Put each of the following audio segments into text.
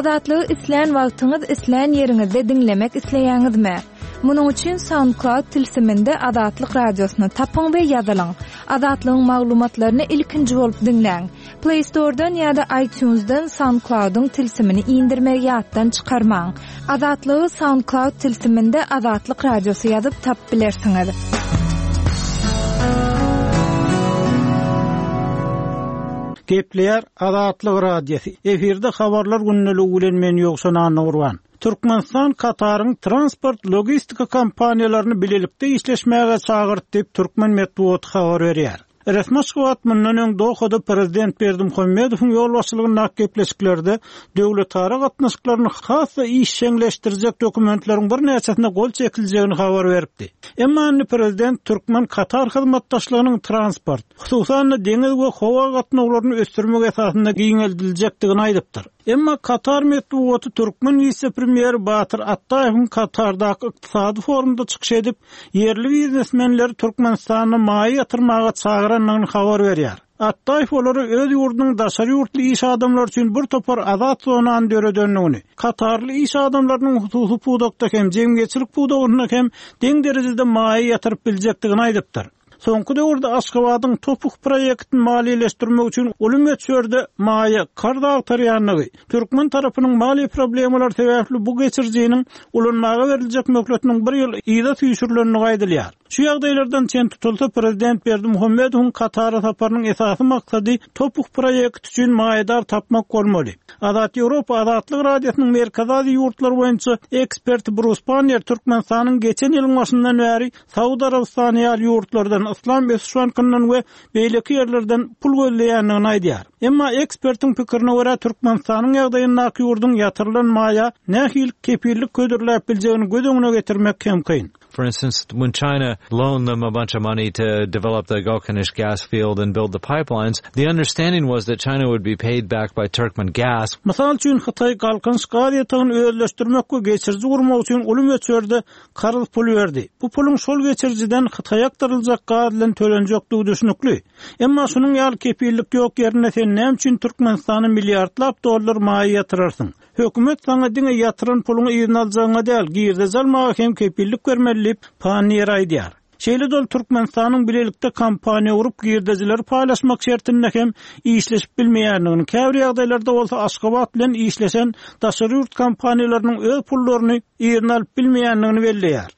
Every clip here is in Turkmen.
Azatlygy islän wagtyňyz, islän ýeriňizde diňlemek isleýäňizmi? Munuň üçin SoundCloud tilsiminde Azatlyk Radiosyny tapyň we ýazylyň. Azatlygyň maglumatlaryny ilkinji bolup diňläň. Play Store-dan ýa-da iTunes-dan SoundCloud-yň tilsimini indirmegi ýatdan çykarmaň. Azatlygy SoundCloud tilsiminde Azatlyk Radiosy ýazyp tapyp bilersiňiz. Gepleýär Azatlyk Radiosy, efirde Habarlar gündeligi bilen men Ýowşan Annagurban. Türkmenistan Kataryň transport-logistika kompaniýalaryny bilelikde işleşmäge çagyrdy diýip, türkmen metbugaty habar berýär. Resmi Aşgabat mundan öň Dohada prezident Berdimuhamedowyň ýolbaşçylygyndaky gepleşiklerde döwletara gatnaşyklaryny has-da işjeňleşdirjek dokumentleriň birnäçesine gol çekiljegini habar beripdi. Emma indi prezident türkmen-katar hyzmatdaşlygynyň transport, hususan-da deňiz we howa gatnawlaryny ösdürmek esasynda giňeldiljekdigini aýdypdyr. Emma Katar metbugaty türkmen wise-premýeri Batyr Atdaýewiň Katardaky ykdysady forumda çykyş edip, ýerli biznesmenleri Türkmenistanda maýa ýatyrmaga çagyrandygyny habar berýär. Atdaýew olara öz ýurdunyň daşary ýurtly iş adamlary üçin bir topar azat zonany döredendigini, katarly iş adamlarynyň hususy pudakda hem, jemgyýetçilik pudagynda hem deň derejede maýa ýatyryp biljekdigini aýdypdyr. Soňky döwürde Aşgabadyň TOPH proýektini maliýeleşdirmek üçin uly möçberde maýa karz agtarýandygy, türkmen tarapynyň maliýe problemalary sebäpli bu geçirijiniň ulanmaga beriljek möhletiniň bir ýyl yza süýşürilendigi aýdylýar. Şu ýagdaýlardan çen tutulsa, prezident Berdimuhamedowyň Katara saparynyň esasy maksady TOPH proýekti üçin maýadar tapmak bolmaly. Azat Ýewropa Azatlyk Radiosynyň Merkezi Aziýa ýurtlary boýunça eksperti Brus Panniýer Türkmenistanyň geçen ýylyň başyndan bäri Saud Arabystany ýaly ýurtlardan, Yslam ösüş bankyndan we beýleki ýerlerden pul gözleýändigini aýdýar. Emma ekspertiň pikirine görä, Türkmenistanyň ýagdaýyndaky ýurduň ýatyrylan maýa nähili kepillik hödürläp biljegini göz öňüne getirmek hem kyn. For instance, when China loaned them a bunch of money to develop the Galkynysh gas field and build the pipelines, the understanding was that China would be paid back by Turkmen gas. Mysal üçin, Hytaý Galkynyş gaz ýatagyny özleşdirmek we geçiriji gurmak üçin uly möçberde karz pul berdi. Bu puluň şol geçirijiden Hytaýa akdyryljak gaz bilen tölenjekdigi düşnükli. Emma şunuň ýaly kepillik ýok ýerinde sen näme üçin Türkmenistana milliardlap dollar maýa ýatyrarsyň? Hökümet saňa diňe ýatyran puluňy yzyna aljagyňa däl, girdeji almaga hem kepillik bermeli diýip, Panniýer aýdýar. Şeýle-de ol Türkmenistanyň bilelikde kompaniýa gurup girdejileri paýlaşmak şertinde hem işleşip bilmeýändigini, käbir ýagdaýlarda bolsa Aşgabat bilen işleşen daşary ýurt kompaniýalarynyň öz pullaryny yzyna alyp bilmeýändigini belleýär.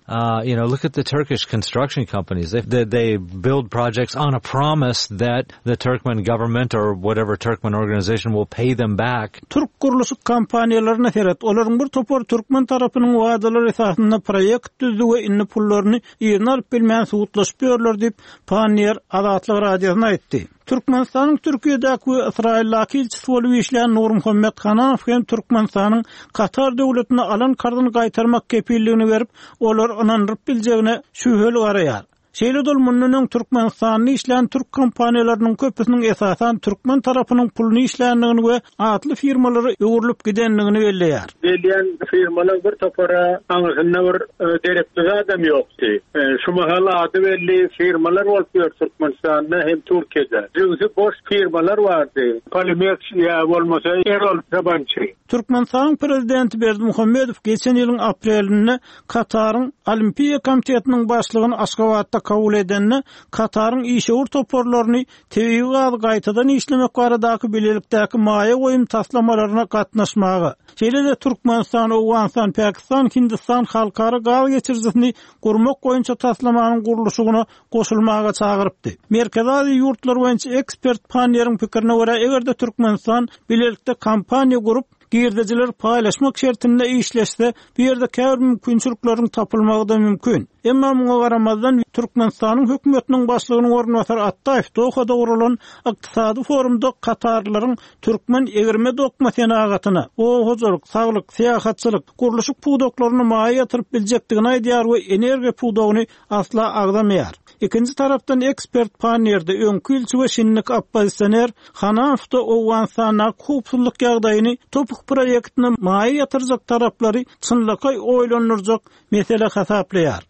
You know, look at the Turkish construction companies. They, they build projects on a promise that the Turkmen government or whatever Turkmen organization will pay them back. Türk gurluşyk kompaniýalaryna seret, olaryň bir topary türkmen tarapynyň wadalary esasynda proýekt düzdi we indi pullaryny yzyna alyp bilmän sudlaşyp ýörler diýip, Panniýer Azatlyk Radiosyna aýtdy. Türkmenistanyň Türkiýedäki we Ysraýyldaky ilçisi bolup işlän Nurmuhammet Hanamow hem Türkmenistanyň Katar döwletine alan karzyny gaýtarmak kepilligini berip, olary ynandyryp biljegine şübheli garaýar. Şeýle-de ol mundan öň Türkmenistanda işlän türk kompaniýalarynyň köpüsiniň esasan türkmen tarapynyň puluny işländigini we atly firmalara öwrülip gidendigini belleýär. Gelýän firmalar bir topara aňyrsynda bir derekli zadam ýokdy. Şu mahal ady belli firmalar bolup ýör Türkmenistanda hem Türkiýede. Jübüsi boş firmalar bardy. Polimeks ýa bolmasa Erol Sabançy. Türkmenistanyň Prezidenti Berdimuhamedow geçen ýylyň aprelinde Kataryň Olimpiýa komitetiniň başlygyny Aşgabatda kabul edende, Kataryň işewür toparlaryny tebigy gazy gaýtadan işlemek baradaky bilelikdäki maýa goýum taslamalaryna gatnaşmaga, şeýle-de Türkmenistan, Owganystan, Pakistan, Hindistan halkara gaz geçirijisini gurmak boýunça taslamanyň gurluşygyna goşulmaga çagyrypdy. Merkezi Aziýa ýurtlary boýunça ekspert Panniýeriň pikirine görä, eger-de Türkmenistan bilelikde kompaniýa gurup, Girdejileri paýlaşmak şertinde işleşse, bu ýerde käbir mümkinçilikleriň tapylmagy-da mümkin. Emma muňa garamazdan, Türkmenistanyň hökümetiniň başlygynyň orunbasary Atdaýew Dohada guralan ykdysady forumda katarlylaryň türkmen egirme-dokma senagatyna, oba hojalyk, saglyk, syýahatçylyk, gurluşyk pudaklaryna maýa ýatyryp biljekdigini aýdýar we energiýa pudagyny asla agzamaýar. Ikinji tarapdan ekspert Panniýerde öňki ilçi we şindiki oppozisioner Hanafda Owganystandaky howpsuzlyk ýagdaýyny TOPH proýektine maýa ýatyrjak taraplary çynlakaý oýlandyrjak mesele hasaplaýar.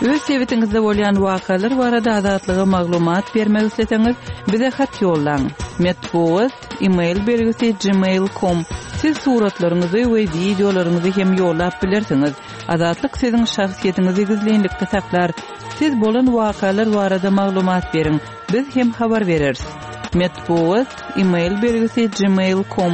Öz sebitiňizde bolýan wakalar barada Azatlyga maglumat bermek isleseňiz, bize hat ýollaň. Metbugat, e-mail belgisi gmail com. Siz suratlaryňyzy we wideolaryňyzy hem ýollap bilersiňiz. Azatlyk siziň şahsyýetiňizi gizlinlikde saklar. Siz bolan wakalar barada maglumat beriň, biz hem habar bereris. Metbugat, e-mail belgisi gmail com.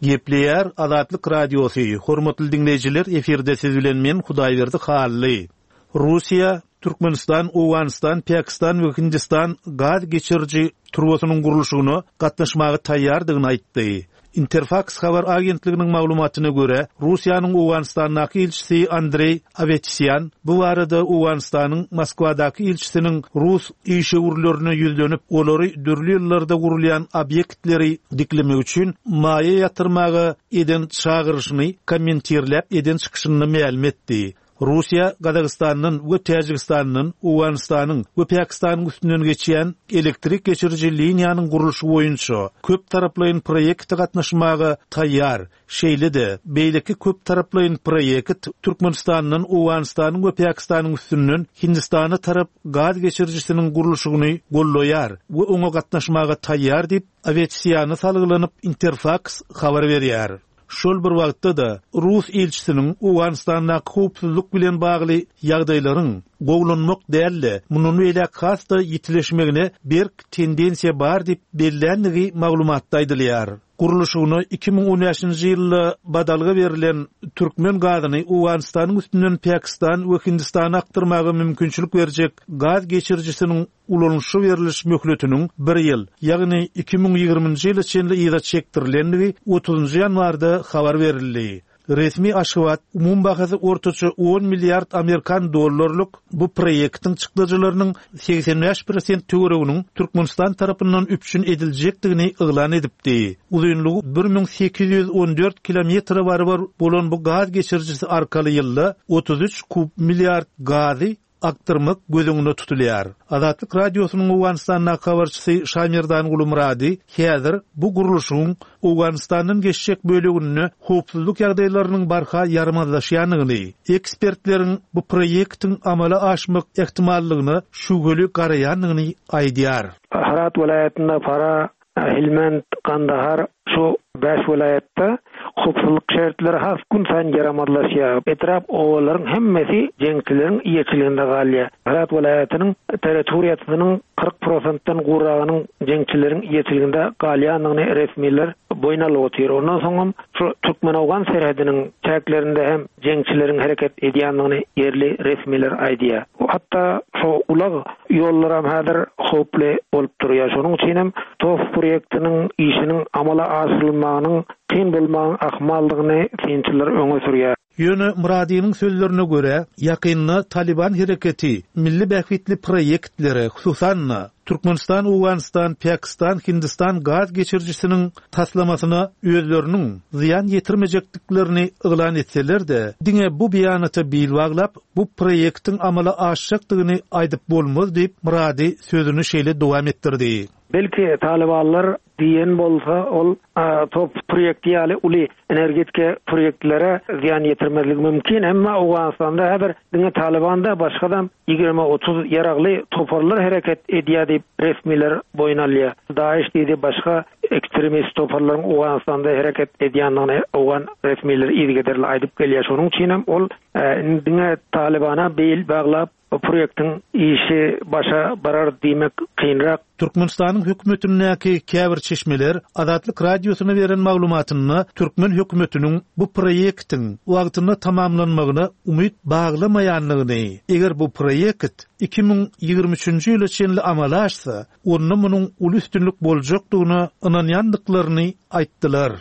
Gepleýär Azatlyk Radiosy, Hormatly diňleýjiler efirde siz bilen men Hudaýberdi Hally. Russiýa, Türkmenistan, Owganystan, Pakistan we Hindistan gaz geçiriji turbasynyň gurluşygyna gatnaşmaga taýýardygyny aýtdy. Interfaks habar agentliginiň maglumatyna görä, Russiýanyň Owganystandaky ilçisi Andreý Awetisýan bu barada Owganystanyň Moskwadaky ilçisiniň rus işewürlerine ýüzlenip, olary dürli ýyllarda gurulýan obýektleri diklemek üçin maýa ýatyrmaga eden çagyryşyny kommentirläp eden çykyşynda mälim etdi. Russiýa Gazagystandan we Täjigistandan Owganystanyň we Pakistanyň üstünden geçýän elektrik geçiriji liniýanyň gurluşygy boýunça köptaraplaýyn proýekte gatnaşmaga taýýar. Şeýle-de, beýleki köptaraplaýyn proýekt Türkmenistandan Owganystanyň we Pakistanyň üstünden Hindistana tarap gaz geçirijisiniň gurluşygyny goldaýar we oňa gatnaşmaga taýýar diýip, Awetisiýana salgylanyp, Interfaks habar berýär. Şol bir wagtda-da, rus ilçisiniň Owganystandaky howpsuzlyk bilen bagly ýagdaýlaryň gowulanmak däl-de, mundan beýläk has-da ýitileşmegine berk tendensiýa bar diýip belländigi maglumatda aýdylýar. Gurluşygyna 2015-nji ýylda badalga berlen türkmen gazyny Owganystanyň üstünden Pakistan we Hindistana akdyrmaga mümkinçilik berjek gaz geçirijisiniň ulanyşa berliş möhletiniň bir ýyl, ýagny 2020-nji ýyla çenli yza çekdirilendigi otuzynjy ýanwarda habar berildi. Resmi Aşgabat umumy bahasy ortaça on milliard amerikan dollarlyk bu proýektiň çykdajylarynyň 85 prosent töwereginiň Türkmenistan tarapyndan üpjün ediljekdigini yglan edipdi. Uzynlygy 1814 kilometre barabar bolan bu gaz geçirijisi arkaly ýylda 33 kub milliard gazy akdyrmak göz öňünde tutulýar. Azatlyk Radiosynyň Owganystandaky habarçysy Şaýmerdanguly Myrady häzir bu gurluşygyň Owganystandan geçjek böleginde howpsuzlyk ýagdaýlarynyň barha ýaramazlaşýandygyny, ekspertleriň bu proýektiň amala aşmak ähtimallygyna şübheli garaýandygyny aýdýar. Hyrat welaýatynda Farah Helmand, Gandahar şu bäş welaýatda howpsuzlyk şertleri has günsaýyn ýaramazlaşýar. Etrap, obalaryň hemmesi jeňçileriň eýeçiliginde galýar. Hyrat welaýatynyň territoriýasynyň 40 prosentden gowragynyň jeňçileriň eýeçiliginde galýandygyny resmiler boýun alyp otyr. Ondan soňam şu türkmen-owgan serhediniň çäklerinde hem jeňçileriň hereket edýändigini ýerli resmiler aýdýar. Hatda şu ulag ýollaram häzir howply bolup durýar. Şonuň üçin hem TOPH proýektiniň işiniň amala aşyrylmagynyň kyn bolmagyň ahmaldygyny synçylar öňe sürýär. Ýöne Myradynyň sözlerine görä, ýakynda Talyban hereketi milli bähbitli proýektlere, hususan-da, Türkmenistan, Owganystan, Pakistan, Hindistan gaz geçirijisiniň taslamasyna özleriniň zyýan ýetirmejekdiklerini yglan etseler-de, diňe bu beýanata bil baglap, bu proýektiň amala aşjakdygyny aýdyp bolmaz diýip, Myrady sözüni şeýle dowam etdirdi. Belki, talybanlar diýen bolsa, ol TOPH proýekti ýaly uly energetika proýektlere zyýan ýetirmezligi mümkin, emma Owganystanda häzir diňe Talyban däl, başga-da 20-30 ýaragly toparlar hereket edýär diýip, resmiler boýun alýar. DAIŞ diýdi, başga ekstremist toparlaryň Owganystanda hereket edýändigini owgan resmileri yzygiderli aýdyp gelýär. Şonuň üçin hem ol indi diňe Talybana bil baglap, Bu proýektiň işi başa barar diýmek kynrak. Türkmenistanyň hökümetindäki käbir çeşmeler Azatlyk Radiosyna beren maglumatynda türkmen hökümetiniň bu proýektiň wagtynda tamamlanmagyna umyt baglamaýandygyny, eger bu proýekt 2023-nji ýyla çenli amala aşsa, onda munuň uly üstünlik boljakdygyna ynanýandyklaryny aýtdylar.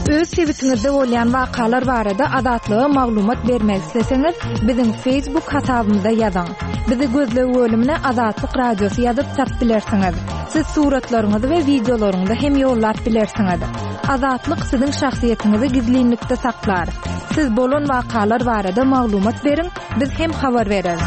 Öz sebitiňizde bolýan wakalar barada Azatlyga maglumat bermek isleseňiz, biziň Facebook hasabymyza ýazyň. Bizi gözleg bölümine Azatlyk Radiosy ýazyp tap bilersiňiz. Siz suratlaryňyzy we wideolaryňyzy hem ýollap bilersiňiz. Azatlyk siziň şahsyýetiňizi gizlinlikde saklar. Siz bolan wakalar barada maglumat beriň, Biz hem habar bereris.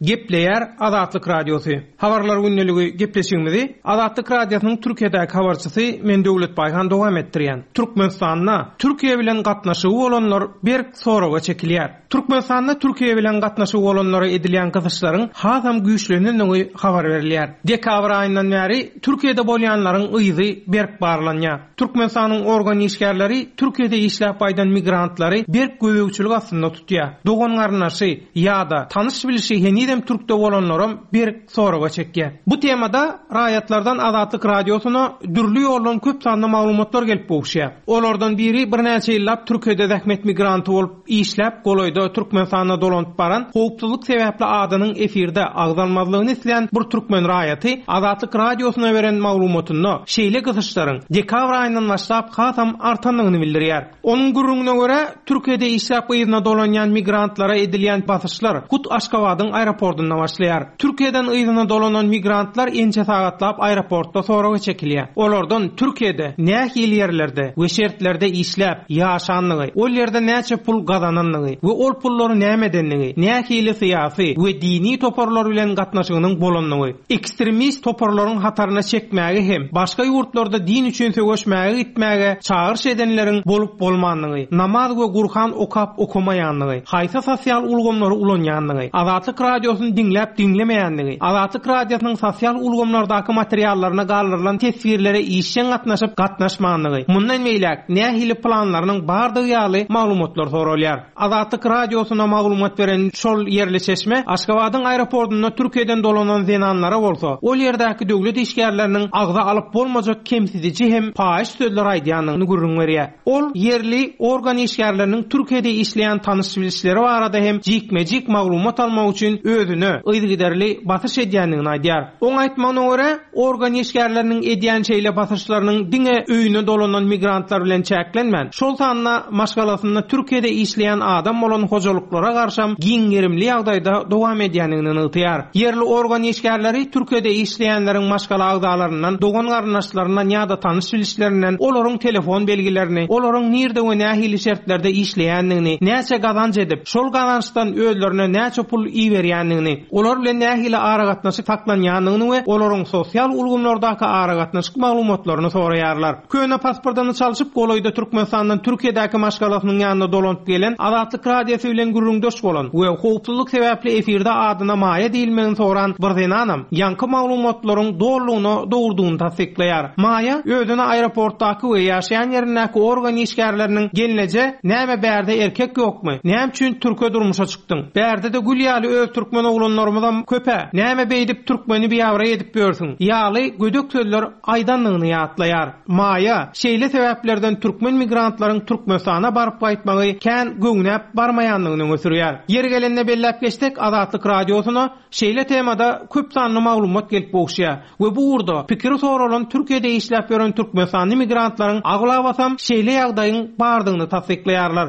Gepleýär Azatlyk Radiosy. Habarlar gündeligi gepleşigimizi Azatlyk Radiosynyň Türkiýedäki habarçysy men Döwlet Baýhan dowam etdirýän. Türkmenistanda Türkiýe bilen gatnaşygy bolanlar berk soraga çekilýär. Türkmenistanda Türkiýe bilen gatnaşygy bolanlara edilýän gysyşlaryň hasam güýçlenendigi habar berilýär. Dekabr aýyndan bäri Türkiýede bolýanlaryň yzy berk barlanýar. Türkmenistanyň organ işgärleri Türkiýede işläp gaýdan migrantlary berk gözegçilik astynda tutýar. Dogan-garyndaşy ýa-da tanyş-bilişi henizem türkde bolanlaram berk soraga çekýär. Bu temada raýatlardan Azatlyk Radiosyna dürli ýoldan köp sanda maglumatlar gelip gowuşýar. Olardan biri birnäçe ýyllap Türkiýede zähmet migranty bolup işläp, golaýda Türkmenistana dolanyp baran, howpsuzlyk sebäpli adynyň efirde agzalmazlygyny islän bir türkmen raýaty Azatlyk Radiosyna beren maglumatynda şeýle gysyşlaryň dekabr aýyndan başlap hasam artandygyny bildirýär. Onuň gürrüňine görä, Türkiýede işläp yzyna dolanýan migrantlara edilýän basyşlar hut Aşgabadyň aeroportunda başlaýar. Türkiýeden yzyna dolanan migrantlar ençe sagatlap aeroportda soraga çekilýär. Olardan Türkiýede nähili ýerlerde we şertlerde işläp, ýaşandygy, ol ýerde näçe pul gazanandygy we ol pullary näme edendigi, nähili syýasy we dini toparlar bilen gatnaşygynyň bolandygy, ekstremist toparlaryň hataryna çekmäge hem başga ýurtlarda din üçin söweşmäge gitmäge çagyryş edenleriň bolup-bolmandygy, namaz we Gurhan okap-okamaýandygy, haýsy sosial ulgamlary ulanýandygy, Azatlyk Radiosyny diňläp-diňlemeýändigi, Azatlyk Radiosynyň sosial ulgamlardaky materiallaryna galdyrylan teswirlere işjeň gatnaşyp-gatnaşmandygy, mundan beýläk nähili planlarynyň bardygy ýaly maglumatlar soralýar. Azatlyk Radiosyna maglumat beren şol ýerli çeşme Aşgabadyň aeroportunda Türkiýeden dolanan zenanlara bolsa, ol ýerdäki döwlet işgärleriniň agza alyp bolmajak kemsidiji hem paýyş sözler aýdýandygyny gürrüň berýär. Ol ýerli organ işgärleriniň Türkiýede işleýän tanyş-bilişleri barada hem jikme-jik maglumat almak üçin özüne yzygiderli basyş edýändigini aýdýar. Oň aýtmagyna görä, Organ işgärleriniň edýän şeýle basyşlarynyň diňe öýüne dolanan migrantlar bilen çäklenmän, şol sanda maşgalasynda Türkiýede işleýän adam bolan hojalyklara garşam giň gerimli ýagdaýda dowam edýändigini nygtaýar. Ýerli organ işgärleri Türkiýede işleýänleriň maşgala agzalaryndan, dogan-garyndaşlaryndan ýa-da tanyş-bilişlerinden olaryň telefon belgilerini, olaryň nirde we nähili şertlerde işleýändigini, näçe gazanç edip, şol gazançdan özlerine näçe pul iberýändigini, olar bilen nähili aragatnaşyk saklanýandygyny we olaryň sosial ulgamlardaky aragatnaşyk maglumatlaryny soraýarlar. Köne pasportyny çalşyp, golaýda Türkmenistandan Türkiýedäki maşgalasynyň ýanyna dolanyp gelen, Azatlyk Radiosy bilen gürrüňdeş bolan we howpsuzlyk sebäpli efirde adyna Maýa diýilmegini soran bir zenanam ýaňky maglumatlaryň dolulygyna dogrudygyny tassyklaýar. Maýa özüne aeroportdaky we ýaşaýan ýerindäki organ işgärleriniň Gelneje, näme bärde erkek ýokmy? Näme üçin türke durmuşa çykdyň? Bärde-de gül ýaly öz türkmen oglanlarymyzam köp-ä. Näme beýdip türkmeni biabraý edip ýörsüň? Ýaly gödek sözler aýdandygyny ýatlaýar. Maýa, şeýle sebäplerden türkmen migrantlaryň Türkmenistana baryp gaýtmagy kän göwnäp barmaýandygyny öňe sürýär. Ýeri gelende belläp geçsek, Azatlyk Radiosyna şeýle temada köp sanly maglumat gelip gowuşýar we bu ugurda pikiri soralan Türkiýede işläp ýören türkmenistanly migrantlaryň aglabasam şeýle ýagdaýyň bardygyny tassyklaýarlar.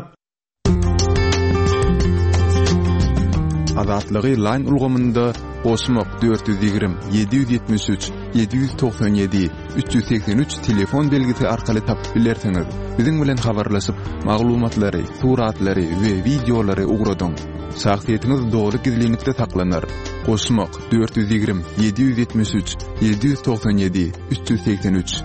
Azatlygy Line ulgamynda goşmak 420 773 797 383 telefon belgisi arkaly tapyp bilersiňiz. Biziň bilen habarlaşyp, maglumatlary, suratlary we wideolary ugradyň. Şahsyýetiňiz doly gizlinlikde saklanar. Goşmak 420 773 797 383.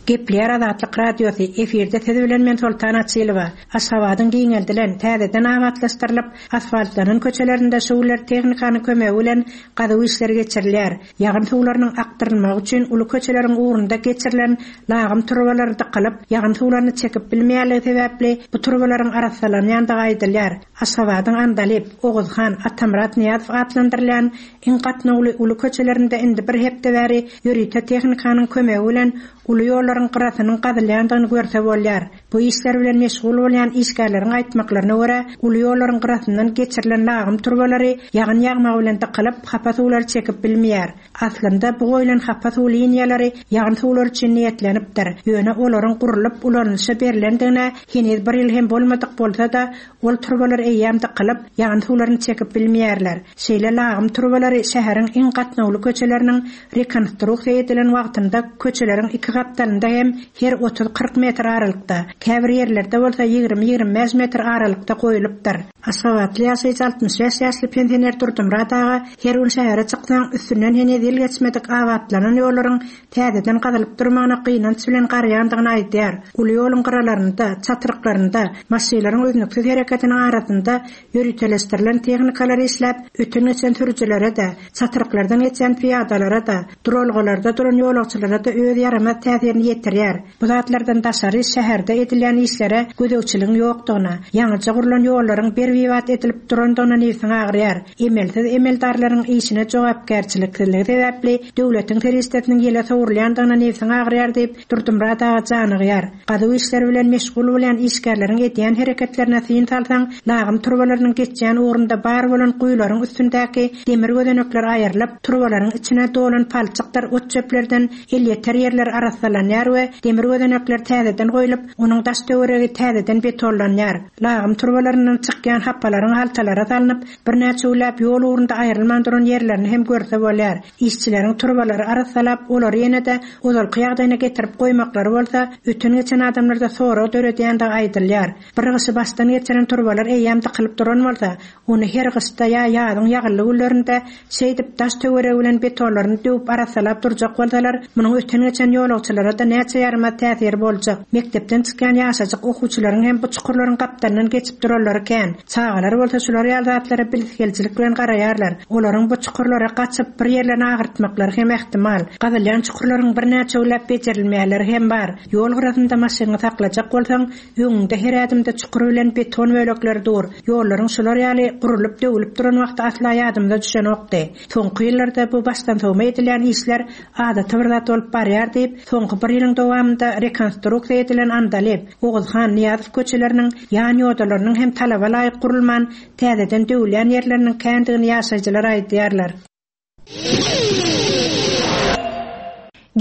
Gepleýär Azatlyk Radiosy, efirde siz bilen men Soltan Açylowa. Aşgabadyň giňeldilen, täzeden abatlaşdyrylyp, asfaltlanan köçelerinde şu günler tehnikanyň kömegi bilen gazuw işleri geçirilýär. Ýagyn suwlarynyň akdyrylmagy üçin uly köçeleriň ugrunda geçirilen lagym turbalary dykylyp, ýagyn suwlaryny çekip bilmeýänligi sebäpli bu turbalaryň arassalanýandygy aýdylýar. Aşgabadyň Andalyp, Oguzhan, Atamyrat Nyýazow atlandyrylýan iň gatnawly uly köçelerinde indi bir hepde bäri ýörite tehnikanyň kömegi bilen uly ýollaryň gyrasynyň gazylýandygyny görse bolýar. Bu işler bilen meşgul bolýan işgärleriň aýtmaklaryna görä, uly ýollaryň gyrasyndan geçirilen lagym turbalary ýagyn ýagmagy bilen dykylyp, hapa suwlary çekip bilmeýär. Aslynda, bu goýlan hapa suw liniýalary ýagyn suwlary üçin niýetlenipdir. Ýöne olaryň gurlup, ulanylyşa berlendigine heniz bir ýyl hem bolmadyk bolsa-da, ol turbalar eýýäm dykylyp, ýagyn suwlaryny çekip bilmeýärler. Şeýle lagym turbalary şäheriň iň gatnawly köçeleriniň rekonstruksiýa edilen wagtynda köçeleriň iki gapdalynda. çatryklarynda hem her otuz-kyrk metr aralykda, käbir ýerlerde bolsa ýigrimi-ýigrimi bäş metr aralykda goýulypdyr. Aşgabatly ýaşaýjy 65 ýaşly pensioner Durdymyrat aga her gün şähere çyksaň, üstünden heniz ýyl geçmedik abatlanan ýollaryň täzeden gazylyp durmagyna gynanç bilen garaýandygyny aýdýar. Uly ýoluň gyralarynda, çatryklarynda, maşynlaryň üznüksiz hereketiniň arasynda ýöriteleşdirilen tehnikalar işläp, öten-geçen sürüjilere-de, çatryklardan geçýän pyýadalara-da, duralgalarda duran ýolagçylara-da öz ýaramaz täsirini ýetirýär. Bu zatlardan daşary, şäherde edilýän işlere gözegçiligiň ýokdugyna, ýaňyja gurlan ýollaryň ber-bibat edilip durandygyna nebsiň agyrýar. Emelsiz emeldarlaryň işine jogapkärçiliksizligi sebäpli döwletiň serişdesiniň ýele sowrulýandygyna nebsiň agyrýar diýip, Durdymyrat aga janygýar. Gazuw işleri bilen meşgul bolýan işgärleriň edýän hereketlerine syn salsaň, lagym turbalarynyň geçýän ugrunda bar bolan guýularyň üstündäki demir gözenekler aýrylyp, turbalaryň içine dolan palçykdyr ot-çöplerden elýeter ýerler arassalanýar we demir gözenekler täzeden goýlup, onuň daş-töweregi täzeden betonlanýar. Lagym turbalaryndan çykýan hapalaryň haltalara salnyp, birnäçe günläp ýol ugrunda aýrylman duran ýerlerini hem görse bolýar. Işçileriň turbalary arassalap, olary ýene-de ozalky ýagdaýyna getirip goýmaklary bolsa, öten-geçen adamlarda sorag döredýändigi aýdylýar. Bir gyşy başdan geçiren turbalar eýýäm dykylyp duran bolsa, ony her gyşda ýa ýazyň ýagynly günlerinde şeýdip daş-töweregi bilen betonlaryny döwüp arassalap durjak bolsalar, munuň öten-geçen ýolagçylara-da näçe ýaramaz täsiri boljak. Mekdepden çykýan ýaşajyk okuwçylaryň hem bu çukurlaryň gapdalyndan geçip duranlary kän. Çagalar bolsa şular ýaly zatlara bilesigelijilik bilen garaýarlar. Olaryň bu çukurlara gaçyp, bir ýerlerini agyrtmaklary hem ähtimal. Gazylýan çukurlaryň birnäçe günläp bejerilmeýänleri hem bar. Ýol gyrasynda maşynyňy saklajak bolsaň, öňüňde her ädimde çukur bilen beton bölekleri dur. Ýollaryň şular ýaly gurulyp, döwülip duran wagty asla ýadymyza düşenokdy. Soňky ýyllarda bu başdansowma edilýän işler adaty bir zat bolup barýar diýip, soňky bir ýylyň dowamynda rekonstruksiýa edilen Andalyp, Oguzhan Nyýazow köçeleriniň ýan ýodalarynyň hem talaba laýyk gurulman, täzeden döwülýän ýerleriniň kändigini ýaşaýjylar aýdýarlar.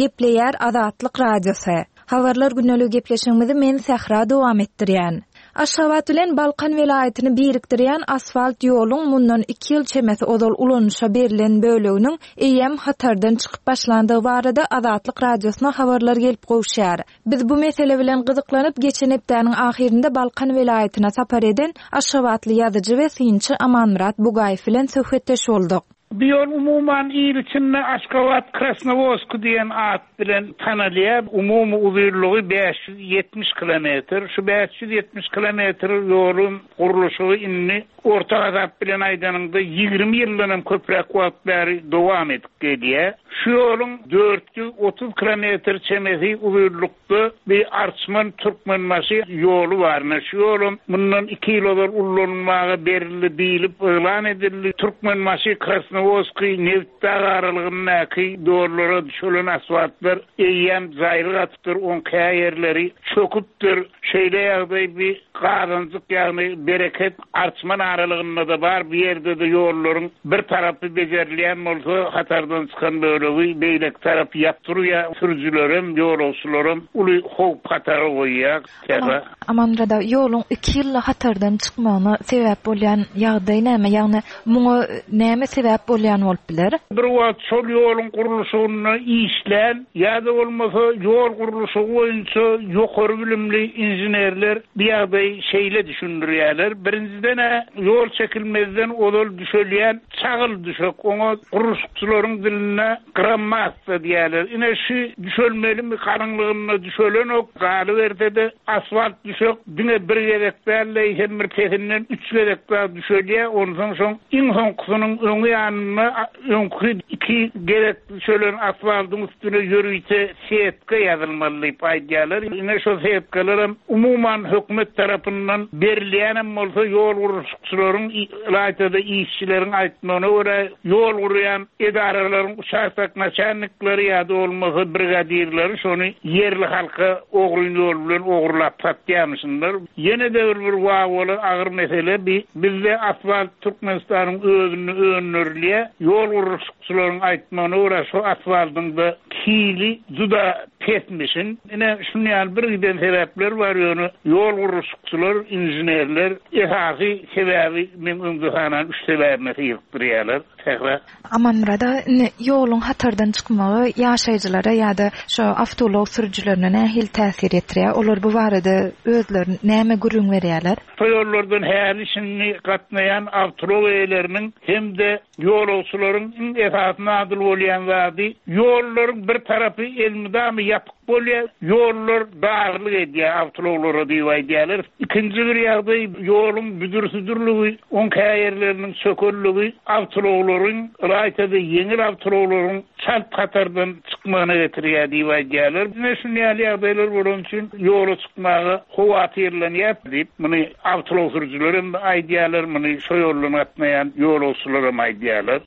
Gepleýär Azatlyk Radiosy. Habarlar gündeligi gepleşigimizi men Sähra dowam etdirýän. Aşgabat bilen Balkan welaýatyny birikdirýän asfalt ýoluň mundan iki ýyl çemesi ozal ulanyşa berlen böleginiň eýýäm hatardan çykyp başlandygy barada Azatlyk Radiosyna habarlar gelip gowuşýar. Biz bu mesele bilen gyzyklanyp, geçen hepdäniň ahyrynda Balkan welaýatyna sapar eden aşgabatly ýazyjy we synçy Amanmyrat Bugaýew bilen söhbetdeş bolduk. Bu ýol umuman il içinde Aşgabat Krasnowodsk diýen at bilen tanalýar. Umumy uzynlygy 570 kilometr. Şu 570 kilometr ýoluň gurluşygy indi orta hasap bilen aýdanyňda 20 ýyldan hem köpräk wagt bäri dowam edip gelýär. Şu ýoluň 430 kilometr çemesi uzynlykda bir Arçman Türkmenbaşy ýoly bar. Ine, şu ýolam mundan iki ýyl ozal ullanylmaga berildi diýlip yglan edildi. Türkmenbaşy Krasnowodskiý Nebitdag aralygyndaky ýollara düşelen asfaltlar eýýäm jaýryk atypdyr, oň käýerleri çöküpdir. Şeýle ýagdaý bir Gazanjyk, ýagny Bereket, Arçman aralygynda-da bar. Bu ýerde-de ýollaryň bir tarapy bejerilýän bolsa, hatardan çykan bölegi beýleki tarapy ýapyk durýar. Sürüjilerem, ýolagçylaram uly howp-hatara goýýar. Sähra. Amanmyrat aga, ýoluň iki ýylda hatardan çykmagyna sebäp bolýan ýagdaý näme? Ýagny muňa näme sebäp bolýan bolup biler? Bir wagt şol ýoluň gurluşygynda işlän ýa-da bolmasa ýol gurluşygy boýunça ýokary bilimli inženerler bu ýagdaýy şeýle düşündirýärler, birinjiden-ä ýol çekilmezden ozal düşelýän çagyl düşek, oňa gurluşykçylaryň dilinde grammassa diýýärler. Ine şu düşelmelimi galyňlygynda düşelenok, galyberse-de asfalt düşek diňe bir gezek däl-de, eýsem bir pesinden üç gezek dagy düşelýär, onsoň şoň iň soňkusynyň öňi ýanynda öňki iki gezek düşelen asfaltyň üstüne ýörite setka ýazylmaly diýip aýdýarlar. Ine şo setkalaram umuman hökümet tarapyndan berilýänem bolsa ýol gurluşykçylaryň ylaýta-da işçileriň aýtmagyna görä ýol gurýan edaralaryň uçastok naçalnikleri ýa-da bolmasa brigadirleri şony ýerli halka ogryn ýol bilen ogurlap satýarmyşynlar. Ýene-de bir bir wawwaly agyr mesele bi bizde asfalt Türkmenistanyň özünde öndürilýär. Ýol gurluşykçylaryň aýtmagyna görä şo asfaltyň-da hili juda. pesmişin. Ine, şuny ýaly bir giden sebäpler bar, ýöne ýol gurluşykçylar, inženerler esasy sebäbi meň öňde sanan üç sebäbime syrykdyrýarlar. Sähra. Amanmyrat aga, indi ýoluň hatardan çykmagy ýaşaýjylara ýa-da şo awtoulag sürüjilerine nähili täsir ýetirýär? Olar bu barada özleri näme gürrüň berýärler? Şo ýollardan häli-şindi gatnaýan awtoulag eýeleriniň hem-de ýolagçylaryň iň esasy nadyl bolýan zady, ýollaryň bir tarapy elmydama ýapyk bolýar, ýollar darlyk edýär awtoulaglara diýip aýdýarlar. Ikinji bir ýagdaý, ýoluň büdür-südürligi, oň käýerleriniň çökerligi awtoulaglaryň, ylaýta-da ýeňil awtoulaglaryň çalt hatardan çykmagyna getirýär diýip aýdýarlar. Ine, şuny ýaly ýagdaýlar bolany üçin ýola çykmaga howatyrlanýar diýip, muny awtoulag sürüjiler hem aýdýarlar, muny şo ýoldan gatnaýan ýolagçylar hem aýdýarlar.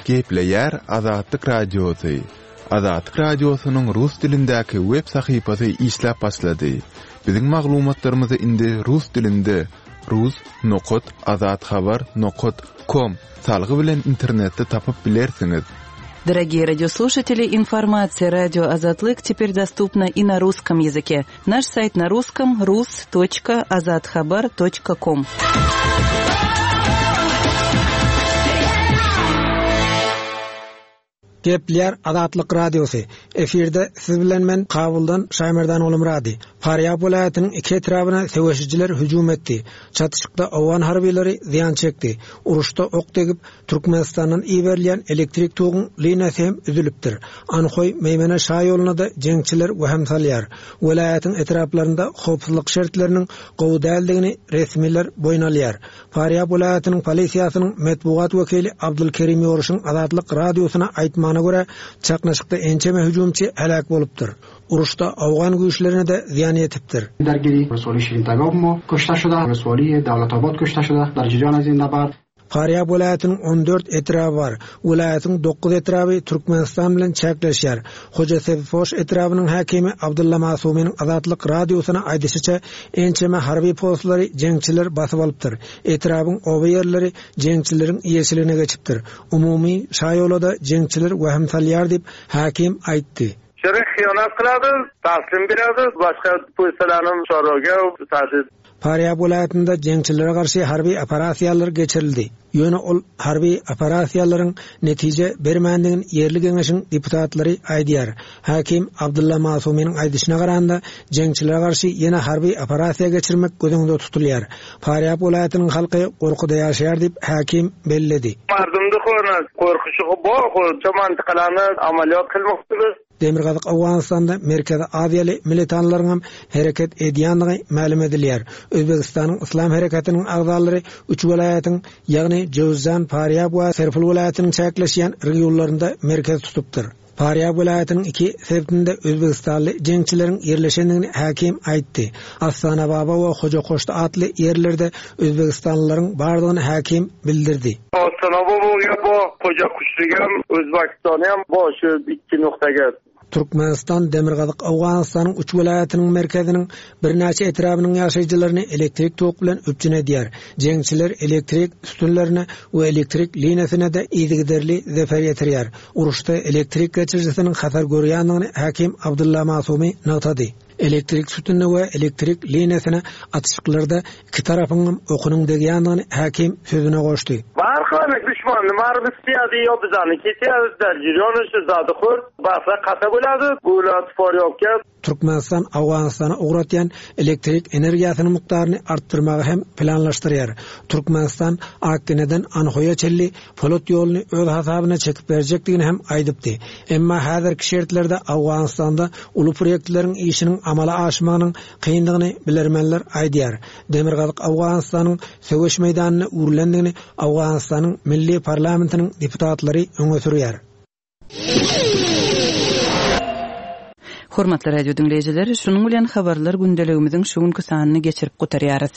Gepleýär Azatlyk Radiosy. Azatlyk Radiosynyň rus dilindäki web sahypasy işläp başlady. Biziň maglumatlarymyzy indi rus dilinde rus nokat azathabar nokat kom salgy bilen internetde tapyp bilersiňiz. Дорогие радиослушатели, информация радио Азатлык теперь доступна и на русском языке. Наш сайт на русском rus.azathabar.com. Gepleýär Azatlyk Radiosy. Efirde siz bilen men Kabuldan Şaýmerdan Ogulmyrady. Farýab welaýatynyň iki etrabyna söweşijiler hüjüm etdi. Çatyşykda owgan harbylary zyýan çekdi. Uruşda ok degip, Türkmenistandan iberilýän elektrik toguň liniýasy hem üzülipdir. Anhoý, Meýmene şaýoluna-da jeňçiler wehim salýar. Welaýatyň etraplarynda howpsuzlyk şertleriniň gowy däldigini resmiler boýun alýar. Farýab welaýatynyň polisiýasynyň metbugat wekili Abdulkerim Ýoruşyň Azatlyk Radiosyna aýtmagyna görä, çaknyşykda ençeme hüjümçi heläk bolupdyr. Uruşda owgan güýçlerine-de zyýan ýetipdir. Farýab welaýatynyň 14 etraby bar. Welaýatyň dokuz etraby Türkmenistan bilen çäkleşýär. Hojasebzpoş etrabynyň häkimi Abdylla Masumynyň Azatlyk Radiosyna aýdyşyça, ençeme harby postlary jeňçiler basyp alypdyr. Etrabyň oba ýerleri jeňçileriň eýeçiligine geçipdir. Umumy şaýola-da jeňçiler wehim salýar diýip, häkim aýtdy. Şere hyýanat kylady, taslim beradi, başga pulsalaryny soraga taşy. Farýab welaýatynda jeňçilere garşy harby operasiýalar geçirildi. Ýöne ol harby operasiýalaryň netije bermändigini ýerli geňeşiň deputatlary aýdýar. Häkim Abdylla Masumynyň aýdyşyna garanda, jeňçilere garşy ýene harby operasiýa geçirmek göz öňünde tutulýar. Farýab welaýatynyň halky gorkuda ýaşaýar diýip, häkim belledi. Mardumdy hona gorkuşygy bor, hoja mantykalany amalýot kylmakdyr. Demirgazyk Owganystanda Merkezi Aziýaly militanlaryň hem hereket edýändigi mälim edilýär. Özbegistanyň Yslam hereketiniň agzalary üç welaýatyň, ýagny Jöwüzjan, Farýab we Serpil welaýatynyň çäkleşýän regionlarynda merkez tutupdyr. Farýab welaýatynyň iki sebitinde özbegistanly jeňçileriň ýerleşendigini häkim aýtdy. Astanababa we Hojakoşty atly ýerlerde özbegistanlylaryň bardygyny häkim bildirdi. Astanababa bo, Hojakuşlygam, Özbegistanam bo şu ikki noktaga. Türkmenistan Demirgazyk Owganystanyň üç welaýatynyň merkeziniň birnäçe etrabynyň ýaşaýjylaryny elektrik tok bilen üpjün edýär. Jeňçiler elektrik sütünlerine we elektrik liniýasyna-da yzygiderli zeper ýetirýär. Uruşda elektrik geçirijisiniň hasar görýändigini häkim Abdylla Masumy nygtady. Elektrik sütünine we elektrik liniýasyna atyşyklarda iki tarapyňam okunyň degýändigini häkim sözüne goşdy. Barhany duşmany baryp isleýärdi ýo bizany kesýärdi derjirýony şu zady hur barsa kata bolýardy gula spor ýokýa. Türkmenistan Owganystana ugratýan elektrik energiýasynyň mukdaryny artdyrmagy hem planlaşdyrýar. Türkmenistan Akgeneden Anhoýa çenli polat ýoluny öz hasabyna çekip berjekdigini hem aýdypdy. Emma häzirki şertlerde Owganystanda uly proýektleriň işiniň amala aşmagynyň kyndygyny bilermenler aýdýar. Demirgazyk Owganystanyň söweş meýdanyna öwrülendigini Owganystanyň milli parlamentiniň deputatlary öňe sürýär. Hormatly radio diňleýjiler, şunuň bilen habarlar gündeligimiziň şu günki sanyny geçirip gutarýarys.